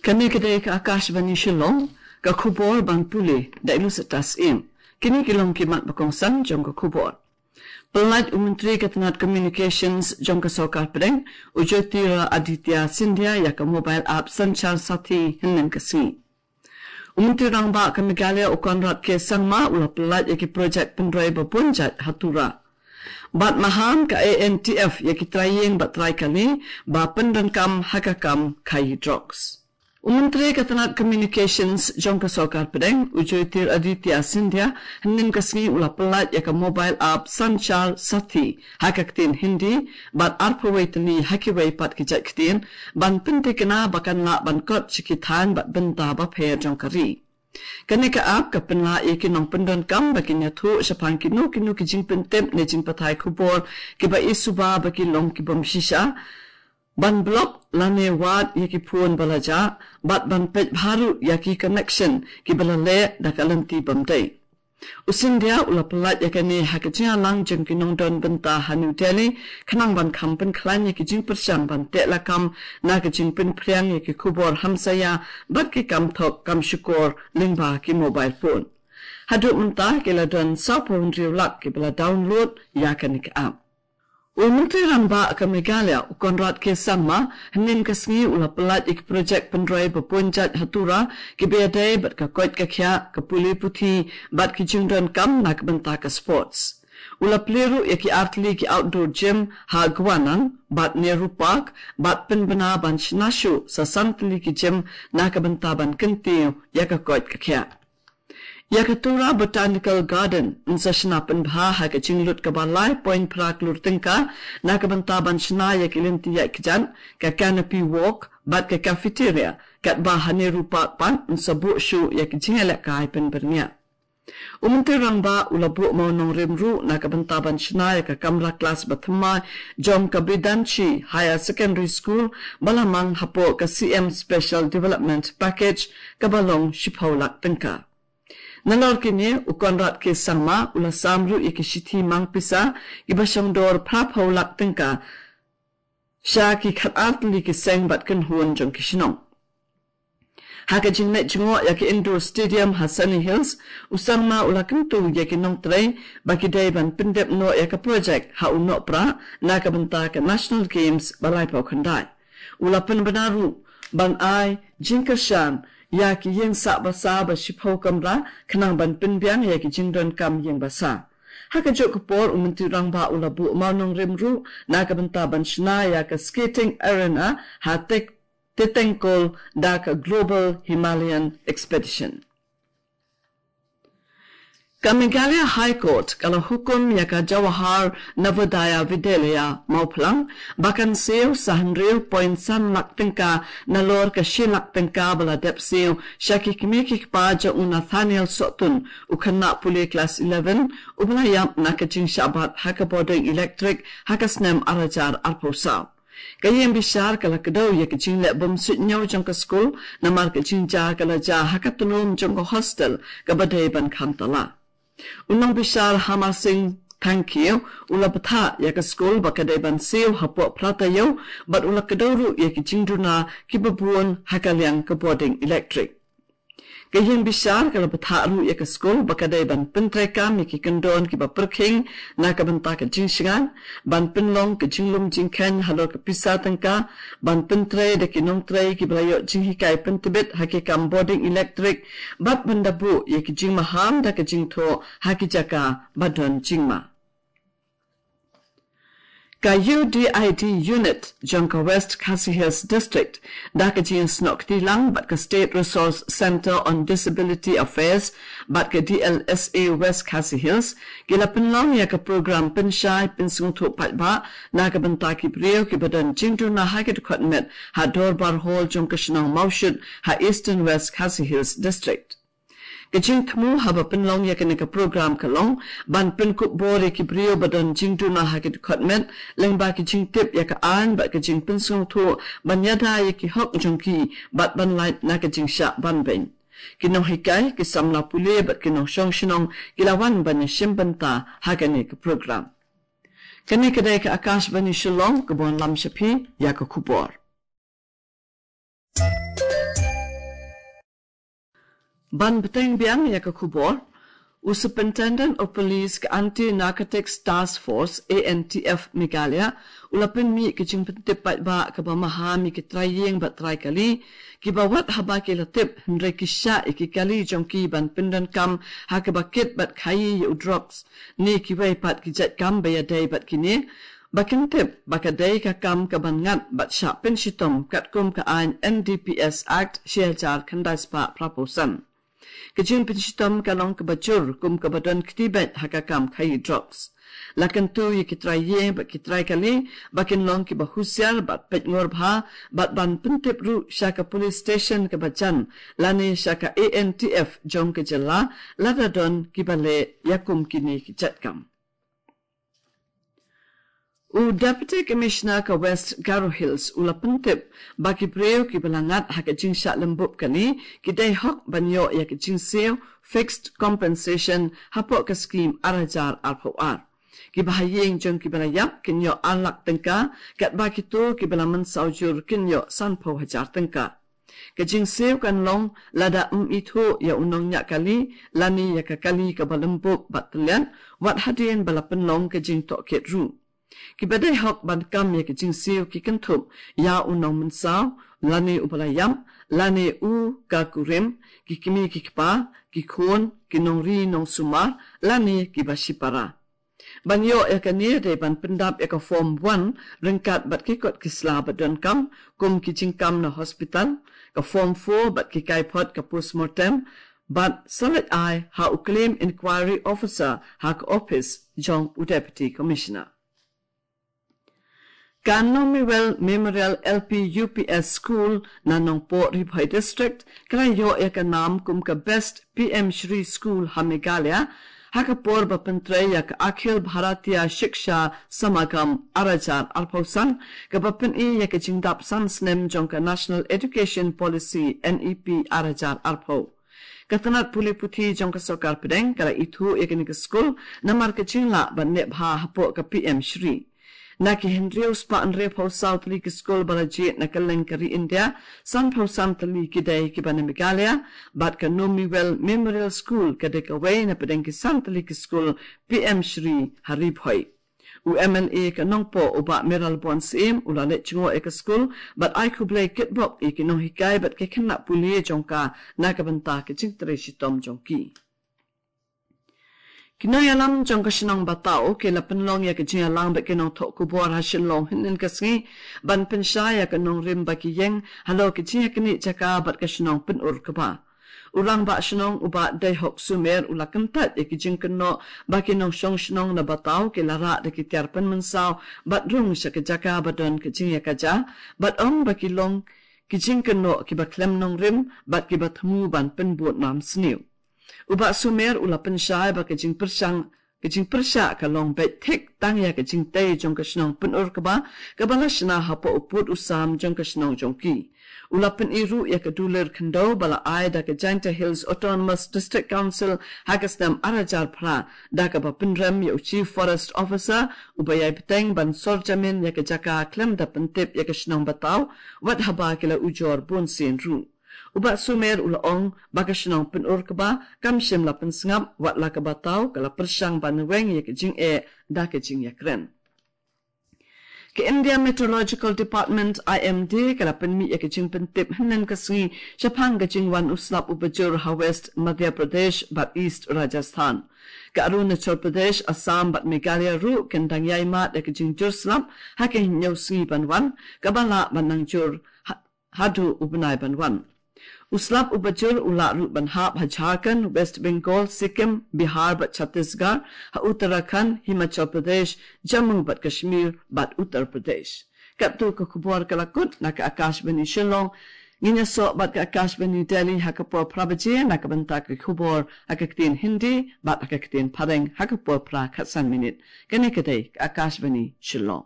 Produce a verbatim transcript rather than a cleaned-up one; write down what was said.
Kane ka dei ka Akashvani Shillong, ka khubor ban pule da i Lucetta Syiem. Kine ki long ki mat ba kongsan jong ka khubor. Pyllait u Myntri ka tnat Communications jong ka Sorkar Pdeng, u Jyotiraditya Scindia, ïa ka mobile app Sanchar Saathi hynnin ka sngi. U Myntri Rangbah ka Meghalaya u Conrad K Sangma u la pyllait ïa ki projek pynroi ba bun jait ha Tura. Bad maham ka A N T F ïa ki trai ïing bad trai kali ba pyndonkam ha ka kam khaïi drugs. U Myntri ka tnat Communications jong ka Sorkar Pdeng, u Jyotiraditya Scindia, hynnin ka sngi u la pyllait ïa ka mobile app Sanchar Saathi ha ka ktien Hindi bad arphew wei tylli ha kiwei pat ki jait ktien, ban pyntikna ba kan lah ban kot sha ki thaiñ bad bynta bapher jong ka ri. Kane ka app ka pynlah ïa ki nongpyndonkam ba kin ïathuh shaphang kino kino ki jingpyntip ne jingpathai khubor kiba i suba ba ki long ki bym shisha, ban block lane wad ïa ki phone ba la jah, bad ban peit bha ruh ïa ki connection kiba la leh da ka lynti bym dei. U Scindia u la pyllait ïa kane ha ka jingïalang jong ki nongdon bynta ha New Delhi, khnang ban kham pynkhlaiñ ïa ki jingpyrshang ban teh lakam na ka jingpynphriang ïa ki khubor hamsaïa bad ki kam thok kam shukor lyngba ki mobile phone. Haduh mynta ki la don sawphew hynriew lak kiba la download ïa kane ka app. U Myntri Rangbah ka Meghalaya u Conrad K Sangma, hynnin ka sngi u la pyllait ïa ki projek pynroi ba bun jait ha Tura, kiba ïadei bad ka koit ka khiah, ka pule puthi bad ki jingdonkam na ka bynta ka sports. U la plie ruh ïa ki artylli ki outdoor gym ha Gwanan bad Nehru Park, bad pynbna ban shna shuh sa san tylli ki gym na ka bynta ban kyntiew ïa ka koit ka khiah. Ïa ka Tura Botanical Garden yn sa shna pynbha ha ka jinglut kaba lai point phra klur tyngka na ka bynta ban shna ïa ki lynti ïaid kjat, ka canopy walk bad ka cafeteria, katba ha Nehru Park pat yn sa buh shuh ïa ki jingïalehkai pynbyrngiah. U Myntri Rangbah u la buh mawnongrim ruh na ka bynta ban shna ïa ka kamra klas ba thymmai jong ka Bidanchi Higher Secondary School, ba la mang hapoh ka C M Special Development Package, kaba long shiphew lak tyngka. Nalor kine, u Conrad K Sangma u la sam ruh ïa ki shithi mang pisa kiba shongdor phraphew lak tyngka sha ki khatar tylli ki seng bad kynhun jong ki shnong. Ha ka jingleit jngoh ïa ka Indoor Stadium ha Sunny Hills, u Sangma u la kyntu ïa ki nongtrei ba ki dei ban pyndep noh ïa ka projek ha u Nohprah na ka bynta ka National Games ba laiphew khyndai. U la pynbna ruh ban ai jingkyrshan ïa ki ïing sah basa ba shiphew kamra, khnang ban pynbiang ïa ki jingdonkam ïing basa. Ha kajuh ka por, u Myntri Rangbah u la buh mawnongrim ruh na ka bynta ban shna ïa ka skating arena ha Tek-, Tetengkol da ka Global Himalayan Expedition. Ka Meghalaya High Court ka la hukum ïa ka Jawahar Navodaya Vidyalaya Mawphlang ba kan siew sa hynriew point san lak tyngka nalor ka shi lak tyngka ba la dep siew sha ki kmie ki kpa jong u Nathaniel Sohtun, u khynnah pule klas eleven, uba la ïap na ka jingshah bat ha ka bording elektrik ha ka snem ar hajar arphew saw. Ka ïing bishar ka la kdew ïa ka jingleh bym suidñiew jong ka skul, namar ka jingjia ka la jia ha ka tnum jong ka hostel kaba dei ban kham tala. U nongbishar Hamar Singh Thangkhiew u la bthah ïa ka skul ba ka dei ban siew hapoh phra taïew, bad u la kdew ruh ïa ki jingduna kiba bun ha ka liang ka bording elektrik. Ka ïing bishar ka la bthah ruh ïa ka skul ba ka dei ban pyntreikam ïa ki kyndon kiba pyrkhing na ka bynta ka jingshngaiñ, ban pynlong ka jinglum jingkheiñ halor ka pisa tyngka, ban pyntrei da ki nongtrei kiba la ïoh jinghikai pyntbit ha ki kam bording elektrik, bad ban da buh ïa ki jingmaham da ka jingthoh ha ki jaka ba don jingma. Ka U D I D unit jong ka West Khasi Hills District, da ka jingsnoh kti lang bad ka State Resource Centre on Disability Affairs bad ka D L S A West Khasi Hills, ki la pynlong ïa ka program pynshai pynsngewthuh paidbah na ka bynta ki briew kiba don jingduna ha ki dkhot met ha Dorbar Hall jong ka shnong Mawshut ha Eastern West Khasi Hills District. Ka jingthmu haba pynlong ïa kane ka program ka long ban pynkup bor ïa ki briew ba don jingduna ha ki dkhot met, lyngba ki jingtip ïa ka aiñ bad ka jingpynsngewthuh ban ïada ïa ki hok jong ki, bad ban lait na ka jingshah banbeiñ. Ki nonghikai, ki samla pule bad ki nongshong shnong ki la wan ban ïashim bynta ha kane ka program. Kane ka dei ka Akashvani Shillong kaba wanlam sha phi ïa ka khubor. Ban bteng biang ïa ka khubor, u Superintendent of Police ka Anti Narcotics Task Force, A N T F, Meghalaya u la pynmih ka jingpyntip paidbah kaba maham ïa ki trai ïing bad trai kali kiba wat haba ki la tip, hynrei ki shah ïa ki kali jong ki ban pyndonkam ha kaba kit bad khaïi ïa u drugs ne kiwei pat ki jait kam ba ïadei bad kine, ba kin tip ba ka dei ka kam kaban ngat bad shah pynshitom katkum ka aiñ N D P S Act shi hajar khyndai spah phra phew san. Ka jingpynshitom ka long kaba jur kum kaba don kti beit ha ka kam khaïi drugs. La kyntu ïa ki trai ïing bad ki trai kali ba kin long kiba husiar bad peit ngor bha bad ban pyntip ruh sha ka police station kaba jan lane sha ka A N T F jong ka jylla lada don kiba leh ïa kum kine ki jait kam. U Deputy Commissioner ka West Garo Hills u la pyntip ba ki briew kiba la ngat ha ka jingshah lymbub kali ki dei hok ban ïoh ïa ka jingsiew fixed compensation hapoh ka skim ar hajar arphew ar. Kiba ha ïing jong kiba la ïap kin ïoh ar lak tyngka, katba kito kiba la mynsaw jur kin ïoh sanphew hajar tyngka. Ka jingsiew kan long lada ym ithuh ïa u nongñiah kali lane ïa ka kali kaba lymbub bad tylliat, wat hadien ba la pynlong ka jingtohkit ruh. Kiba dei hok ban kam ïa ka jingsiew ki kynthup ïa u nongmynsaw lane uba la ïap, lane u ka kurim, ki kmie ki kpa, ki khun, ki nongri nongsumar lane kiba shipara. Ban ïoh ïa kane dei ban pyndap ïa ka form one ryngkat bad ki kot ki sla ba donkam, kum ki jingkam na hospital, ka form four bad ki kaiphod ka postmortem, bad sa leit ai ha u claim inquiry officer ha ka ophis jong u Deputy Commissioner. Ka Nomiwell Memorial L P U P S School na Nongpoh, Ri Bhoi District ka la ïoh ïa ka nam kum ka Best P M Shri School ha Meghalaya ha ka por ba pyntrei ïa ka Akhil Bharatiya Shiksha Samagam ar hajar arphew san, kaba pyni ïa ka jingdap san snem jong ka National Education Policy, N E P, ar hajar arphew. Ka tnat pule puthi jong ka sorkar pdeng ka la ithuh ïa kane ka skul namar ka jinglah ban neh bha hapoh ka P M Shri. Na ki hynriew spah hynriewphew saw tylli ki skul ba la jied na kylleng ka ri India, sanphew san tylli ki dei kiba na Meghalaya, bad ka Nomiwell Memorial School ka dei kawei na pdeng ki san tylli ki skul P M Shri ha Ri Bhoi. U M L A ka Nongpoh u Bah Mayralborn Syiem u la leit jngoh ïa ka skul bad ai khublei kitbok ïa ki nonghikai bad ki khynnah pule jong ka na ka bynta ka jingtrei shitom jong ki. Ki nongïalam jong ka shnong Bataw ki la pynlong ïa ka jingïalang bad ki nongthoh khubor ha Shillong hynnin ka sngi ban pynshai ïa ka nongrim ba ki ïeng halor ka jingïaknieh jaka bad ka shnong Pynurkba. U Rangbah Shnong u Bah Deihok Sumer u la kyntait ïa ki jingkynnoh ba ki nongshong shnong na Bataw ki la rah da ki tiar pynmynsaw bad rung sha ka jaka ba don ka jingïakajia, bad ong ba ki long ki jingkynnoh kiba khlem nongrim bad kiba thmu ban pynbud nam sniew. U Bah Sumer u la pynshai ba ka jingpyrshang ka jingpyrshah ka long beit thik tang ïa ka jingtei jong ka shnong Pynurkba kaba la shna hapoh u pud u sam jong ka shnong jong ki. U la pyni ruh ïa ka dulir khyndew ba la ai da ka Jaintia Hills Autonomous District Council ha ka snem ar hajar phra, da kaba pynrem ïa u Chief Forest Officer uba ïai bteng ban sor jamin ïa ka jaka khlem da pyntip ïa ka shnong Bataw, wat haba ki la ujor bunsien ruh. U Bah Sumer u la ong ba ka shnong Pynurkba kam shym la pynsngap, wat la ka Bataw ka la pyrshang ban weng ïa ka jingeh da ka jingïakren. Ka India Meteorological Department, I M D, ka la pynmih ïa ka jingpyntip hynnin ka sngi shaphang ka jingwan u slap uba jur ha West Madhya Pradesh bad East Rajasthan. Ka Arunachal Pradesh, Assam bad Meghalaya ruh kin dang ïai mad ïa ka jingjur slap ha ka hynñiew sngi ban wan, kaba lah ban nang jur ha haduh u bnai ban wan. U slap uba jur u lah ruh ban hap ha Jharkhand, West Bengal, Sikkim, Bihar bad Chhattisgarh, ha Uttarakhand, Himachal Pradesh, Jammu bad Kashmir bad Uttar Pradesh. Katto ka khubor ka la kut na ka Akashvani Shillong. Ngin ïasoh bad ka Akashvani Delhi ha ka por phra baje na ka bynta ka khubor ha ka ktien Hindi bad ha ka ktien Phareng ha ka por phra khatsan minit. Kane ka dei ka Akashvani Shillong.